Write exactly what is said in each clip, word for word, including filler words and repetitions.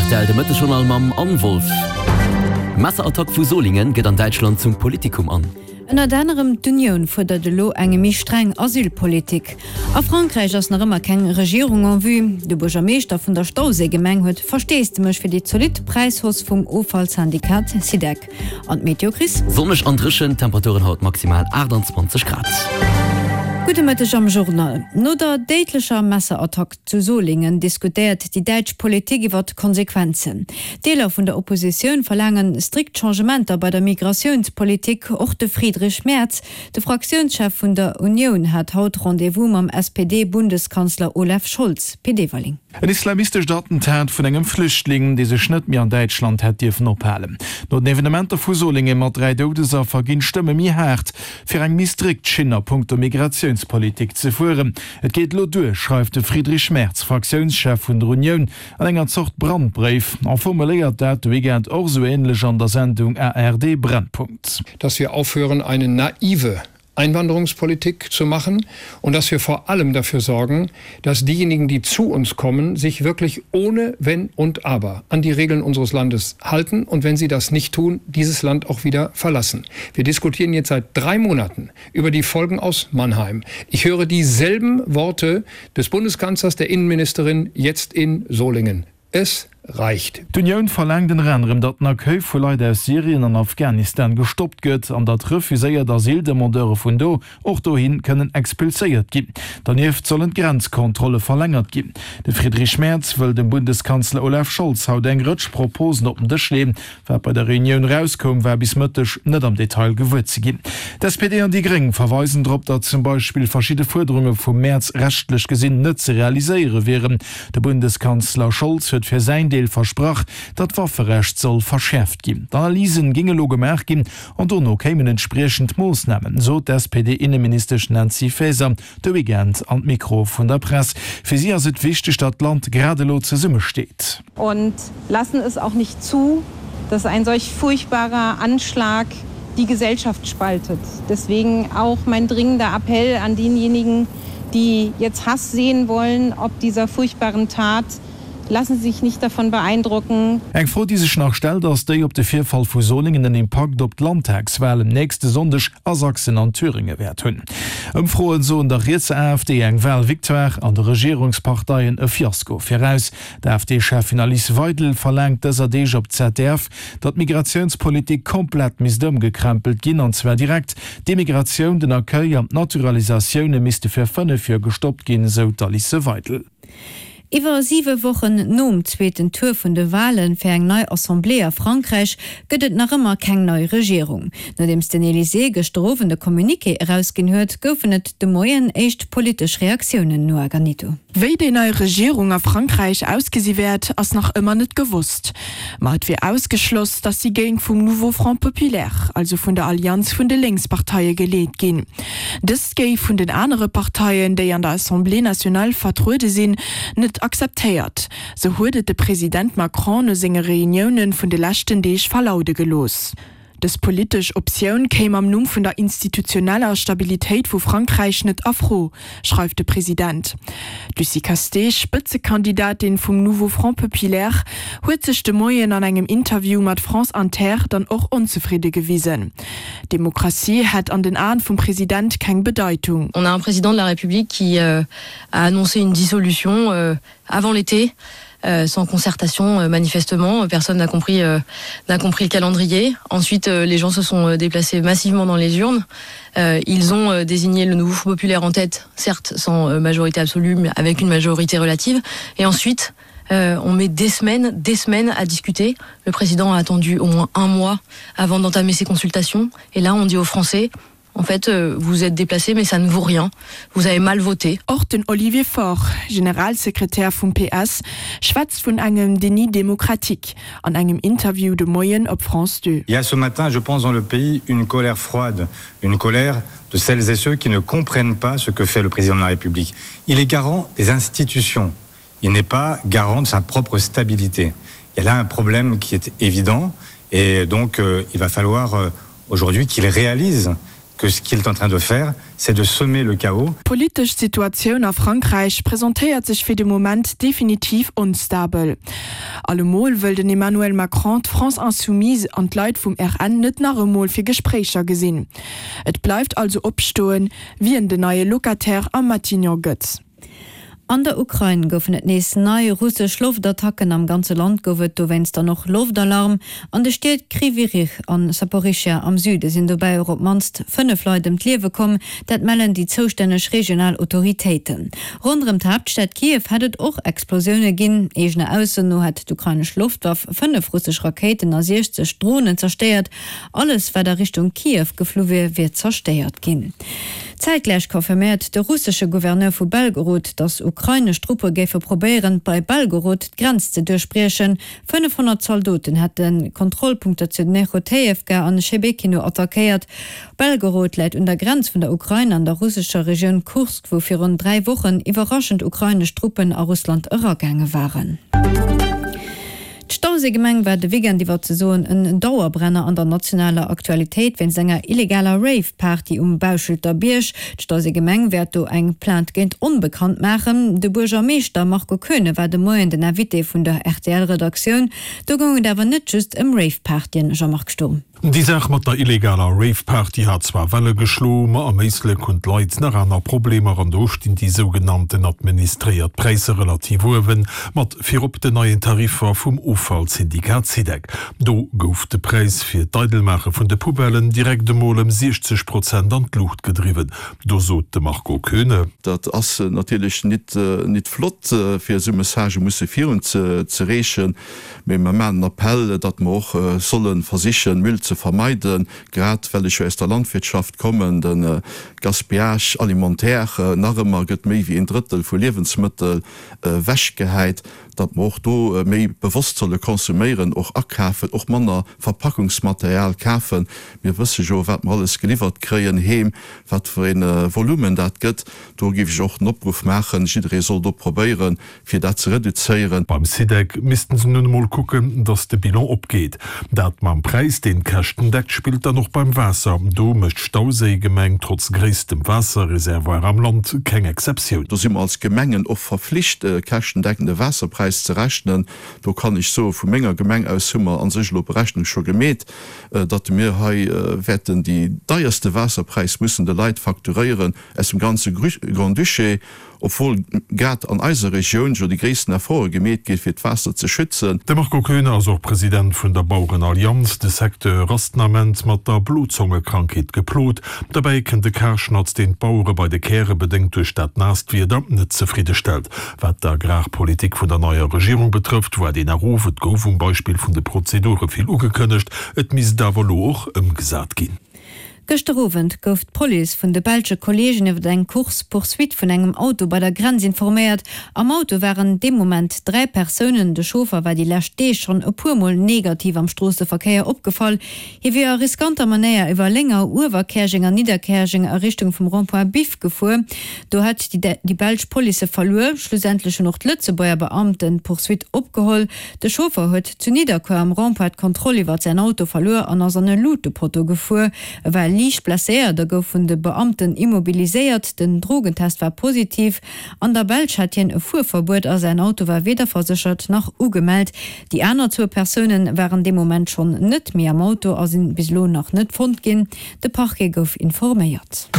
R T L de Mëttesjournal mam Anne Wolff. Messerattack vu Solingen gëtt an Däitschland zum Politikum an. Ënnert anerem d'Unioun fuerdert elo eng méi streng Asylpolitik. A Frankräich ass nach ëmmer keng Regierung en vue. De Buergermeeschter vun der Stauséigemeng huet Versteesdemech fir déi zolidd Präishausse vum Offallsyndikat Sidec. An d'Meteo, Chris? Sonneg an dréchen, Temperaturen haut maximal aachtanzwanzeg Grad. Gudde Mëtteg am Journal. No der déidlecher Messerattack zu Solingen diskutéiert déi däitsch Politik iwwer d'Konsequenzen. Deeler vun der Oppositioun verlaange strikt Changementer bei der Migratiounspolitik. Och de Friedrich Merz, de Fraktiounschef vun der Unioun, hat haut Rendez-vous mam S P D-Bundeskanzler Olaf Scholz. Pit Everling. En islamistescht Attentat vun engem Flüchtling, dee sech net méi an Däitschland hätt dierfen ophalen. No den Evenementer vu Solingen mat dräi Doudesaffer ginn d'Stëmme méi haart, fir eng méi strikt Schinn a punkto Migratiounspolitik ze fueren. Et geet elo duer, schreift de Friedrich Merz, Fraktiounschef vun der Unioun, an enger Zort Brandbréif a formuléiert dat de Weekend och sou änlech an der Sendung A R D Brennpunkt. Dass wir aufhören, eine naive Einwanderungspolitik zu machen und dass wir vor allem dafür sorgen, dass diejenigen, die zu uns kommen, sich wirklich ohne Wenn und Aber an die Regeln unseres Landes halten und wenn sie das nicht tun, dieses Land auch wieder verlassen. Wir diskutieren jetzt seit drei Monaten über die Folgen aus Mannheim. Ich höre dieselben Worte des Bundeskanzlers, der Innenministerin jetzt in Solingen. Es reicht. D'Unioun verlaangt ënner anerem, datt den Accueil vu Leit aus Syrien an Afghanistan gestoppt gëtt an datt refuséiert Asyldemandeure vun do och dohi kënnen expulséiert ginn. Donieft sollen d'Grenzkontrolle verlängert ginn. De Friedrich Merz wëll dem Bundeskanzler Olaf Scholz haut eng Rëtsch Proposen op den Dësch leeën. Wat bei der Reunioun erauskoum, war bis Mëtteg net am Detail gewuer ze ginn. D'S P D an déi Gréng verweisen drop, datt zum Beispill verschidde Fuerderunge vum Merz rechtlech gesinn net ze realiséiere wieren. De Bundeskanzler Scholz huet fir säin Deel versprach, datt d'Wafferecht soll verschäerft ginn. D'Analysen géinge lo gemaach ginn an dono kéimen entspriechend Moossnamen, sot d'S P D-Inneministesch Nancy Faeser de Weekend an d'Mikro vun der Press. Fir si ass et wichteg, datt d'Land grad elo zesummesteet. Und lassen es auch nicht zu, dass ein solch furchtbarer Anschlag die Gesellschaft spaltet. Deswegen auch mein dringender Appell an denjenigen, die jetzt Hass säen wollen, ob dieser furchtbaren Tat: Lassen Sie sich nicht davon beeindrucken. Eng Fro, déi sech nach stellt, ass déi, ob de Virfall vu Solingen en Impakt op d'Landtagswalen nächste Sonndeg a Sachsen an Thüringe wäert hunn. Ëmfroen soen der rietser A F D eng Walvictoire an de Regierungsparteien e Fiasko viraus. D'A F D-Cheffin Alice Weidel verlaangt dëser Deeg op Z D F, datt d'Migratiounspolitik komplett misst ëmgekrempelt ginn, an zwar direkt. D'Immigratioun, den Accueil an d'Naturalisatioune misste fir fënnef Joer gestoppt ginn, sou d'Alice Weidel. Iwwer siwe Wochen nom zweeten Tour vun de Wale fir eng nei Assemblée a Frankräich gëtt et nach ëmmer keng nei Regierung. Nodeems den Elysée gëschter Owend de Communiqué erausginn huet, goufen et de Moien éischt politesch Reaktiounen, Noa Ganito. Wéi déi nei Regierung a Frankräich ausgesi wäert, ass nach ëmmer net gewosst. Ma et wier ausgeschloss, datt si géing vum Nouveau Front Populaire, also vun der Allianz vun de Lénksparteie geleet ginn. Dëst géif vun den anere Parteien, déi an der Assemblée nationale vertruede sinn, net akzeptéiert. Sou huet et de President Macron no senge Reunioune vun de leschten Deeg verlaude gelooss. Dës politesch Optioun kéim am Numm vun der institutioneller Stabilitéit vu Frankräich net a Fro, schreift de President. D'Lucie Casté, Spëtzekandidatin vum Nouveau Front Populaire, huet sech de Moien an engem Interview mat France Inter dann och onzefridde gewisen. Demokratie hätt an den Aen vum President keng Bedeitung. On a un président de la République qui euh, a annoncé une dissolution euh, avant l'été. Euh, sans concertation euh, manifestement, personne n'a compris euh, n'a compris le calendrier. Ensuite euh, les gens se sont euh, déplacés massivement dans les urnes. Euh, ils ont euh, désigné le Nouveau Populaire en tête, certes sans euh, majorité absolue, mais avec une majorité relative. Et ensuite euh, on met des semaines, des semaines à discuter. Le président a attendu au moins un mois avant d'entamer ses consultations. Et là on dit aux Français: en fait, euh, vous êtes déplacés, mais ça ne vaut rien. Vous avez mal voté. Och den Olivier Faure, Generalsekretär vum P S, schwätzt vun engem Déni démocratique an engem Interview de Moien op France deux. Il y a ce matin, je pense, dans le pays une colère froide, une colère de celles et ceux qui ne comprennent pas ce que fait le président de la République. Il est garant des institutions. Il n'est pas garant de sa propre stabilité. Il y a là un problème qui est évident et donc euh, il va falloir euh, aujourd'hui qu'il réalise que ce qu'il est en train de faire, c'est de semer le chaos. D'politesch Situatioun a Frankräich presentéiert sech fir de Moment definitiv onstabel. Allemol wëll den Emmanuel Macron d'France Insoumise an d'Leit vum R N net nach emol fir Gespréicher gesinn. Et bleift also opstoen, wien den neie Locataire am Matignon gëtt. An der Ukrain goufen et nees nei russesch Loftattacken. Am ganze Land gouf et dowéinst dann och Loftalarm. An de Stied Krywyj Rih an Saporischschja am Süde sinn dobäi och op d'mannst fënnef Leit ëm d'Liewe komm, dat mellen déi zoustänneg regional Autoritéiten. Ronderëm d'Haaptstad Kiew hätt et och Explosioune ginn. Eegener Ausso no hätt d'ukrainesch Loftwaff fënnef russesch Rakéiten a siechzeg Dronen zerstéiert. Alles wat a Richtung Kiew geflu wier, wier zerstéiert ginn. Zäitgläich confirméiert de russesche Gouverneur vu Belgorod, datt ukrainesch Truppe géife probéieren, bei Belgorod d'Grenz ze duerchbriechen. Fënnefhonnert Zaldoten hätte Kontrollpunkter zu Nechotejewka an Schebekino attackéiert. Belgorod läit un der Grenz vun der Ukrain an der russescher Regioun Kursk, wou virun dräi Wochen iwwerraschend ukrainesch Truppen a Russland eragaange waren. D'Stauséigemeng war de Weekend iwwer ze soen en Dauerbrenner an der nationaler Aktualitéit wéinst enger illegaler Rave-Party um Bauschelter Bierg. D'Stauséigemeng wäert do eng Plainte géint Onbekannt maachen. De Buergermeeschter Marco Koeune war de Moien den Invité vun der R T L-Redaktioun. Do goung et awer net just ëm Rave-Partyen, Jean-Marc Sturm. Déi Saach mat der illegaler Rave-Party hat zwar Welle geschloen, ma am Éislek hunn d'Leit nach aner Problemer an do stinn déi sougenannten administréiert Präisser relativ uewen, mat virop den neien Tariffer vum Offallsyndikat Sidec. Do gouf de Präis fir d'Eidelmaache vun de Poubellen direkt emol ëm siechzeg Prozent an d'Luucht gedriwwen. Do sot de Marco Koeune. Dat ass natierlech nit nit flott fir esou Messagë musse virun ze ze reechen, mee mer maachen en Appell, datt mer och solle versichen, Müll ze vermeiden, grad well ech jo aus der Landwirtschaft kommen, de Gaspillage alimentaire, nach ëmmer gëtt méi wéi een Drëttel vu Liewensmëttel ewechgehäit, datt mer och do méi bewosst solle konsuméieren, och akafen, och manner Verpackungsmaterial kafen. Mir wësse jo, wat mer alles geliwwert kréien heem, wat fir e Volumen dat gëtt. Do géif ech och en Opruff maachen, jidderee soll do probéieren, fir dat ze reduzéieren. Beim Sidec missten se nun emol kucken, datt de Bilan opgeet. Dat mam Präis, deen d'Käschten deckt, spillt dann och beim Waasser. Do mécht d'Stauséigemeng trotz gréisstem Waasserreservoir am Land keng Exceptioun. Do si mer als Gemengen och verflicht, e käschtendeckende Waasserpräis ze rechnen. Do kann ech soen, vu menger Gemeng aus hu mer a sech elo Berechnung scho gemeet, datt mir hei wäerten déi deierste Waasserpräis mussen de Leit facturéieren aus dem ganze Grand-Duché, obwuel grad an eiser Regioun jo déi gréissten Efforte gemeet gi fir d'Waasser ze schützen. De Marco Koeune ass och President vun der Bauerenallianz. De Secteur ass den Ament mat der Blozongekrankheet geplot. Derbäi kënnt de Karschnatz, deen d'Bauere bei de Käre bedéngt duerch dat naasst Wieder net zefridde stellt. Wat d'Agrarpolitik vun der neier Regierung betrëfft, waart een erof. Et gouf um Beispill vun de Prozedure vill ugekënnegt, et misst awer elo och ëmgesat ginn. Gëschter Owend gouf d'Police vun de belsche Kolleegen iwwer eng Course-poursuite vun engem Auto bei der Grenz informéiert. Am Auto waren dee Moment dräi Persounen. De Chauffer war déi lescht Deeg schonn e puer Mol negativ am Stroosseverkéier opgefall. Hie wier a riskanter Manéier iwwer Lénger, Uewerkäerjeng an Nidderkäerjeng a Richtung vum Rond-point Biff gefuer. Do hätt déi belsch Police e verluer. Schlussendlech hunn och d'Lëtzebuerger Beamten d'Poursuite opgeholl. De Chauffer huet zu Nidderkuer am Rond-point d'Kontroll iwwer säin Auto verluer an ass an e Lutepotto gefuer. E war liicht blesséiert a gouf vun de Beamten immobiliséiert. Den Drogentest war positiv. An der Belsch hat hien e Fuerverbuet a säin Auto war weder verséchert nach ugemellt. Déi aner zwou Persoune waren dee Moment schonn net méi am Auto a sinn bis elo nach net fonnt ginn. De Parquet gouf informéiert.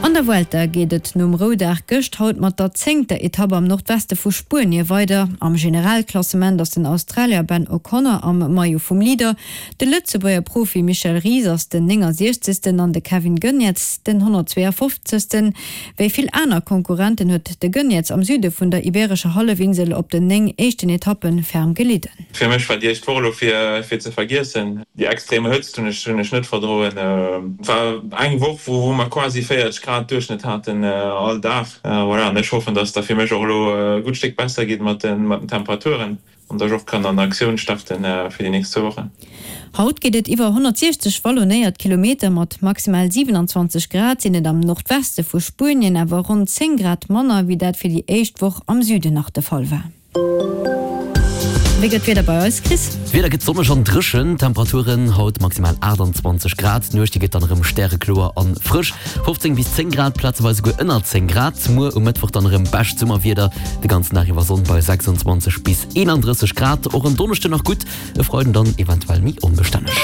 An der Vuelta geet et nom Roudag gëscht haut mat der zéngter Etapp am Nordweste vu Spuenie weider. Am Generalklassement ass den Australier Ben O'Connor am Maillot vum Leader. De Lëtzebuerger Profi Michel Ries ass den néngasiechzegsten an de Kevin Geniets den honnertzweeafofzegsten. Wéi vill aner Konkurrenten huet de Geniets am Süde vun der Ibeerescher Hallefinsel op den néng éischten Etappe ferm gelidden. Fir mech war déi éischt Woch elo fir fir ze vergiessen. Déi extrem Hëtzt hunn ech hunn ech net verdroen. Et war eng Woch wou wou mer quasi véierzeg Grad Duerchschnëtt haten all Dag. Voilà, an ech hoffen, dass et da fir mech och elo e gutt Stéck besser geet mat den mat den Temperaturen an dass ech och kann an Aktioun starten fir déi nächst zwou Wochen. Haut geet et iwwer honnertsiechzeg wallonéiert Kilometer. Mat maximal siwenanzwanzeg Grad sinn et am Nordweste vu Spuenien awer ronn zéng Grad manner, wéi dat fir déi éischt Woch am Süden nach de Fall war. Wéi gëtt d'Wieder bei eis, Chris? D'Wieder gëtt sonneg an dréchen, Temperaturen haut maximal achtundzwanzeg Grad. D'Nuecht déi gëtt dann erëm stärekloer an frësch, fofzéng bis zéng Grad, plazeweis esouguer ënner zéng Grad. Muer um Mëttwoch dann erëm bescht Summerwieder, de ganzen Dag iwwer Sonn bei sechsundzwanzeg bis eenandrësseg Grad. Och en Donneschden nach gutt, e Freiden dann eventuell méi onbestänneg.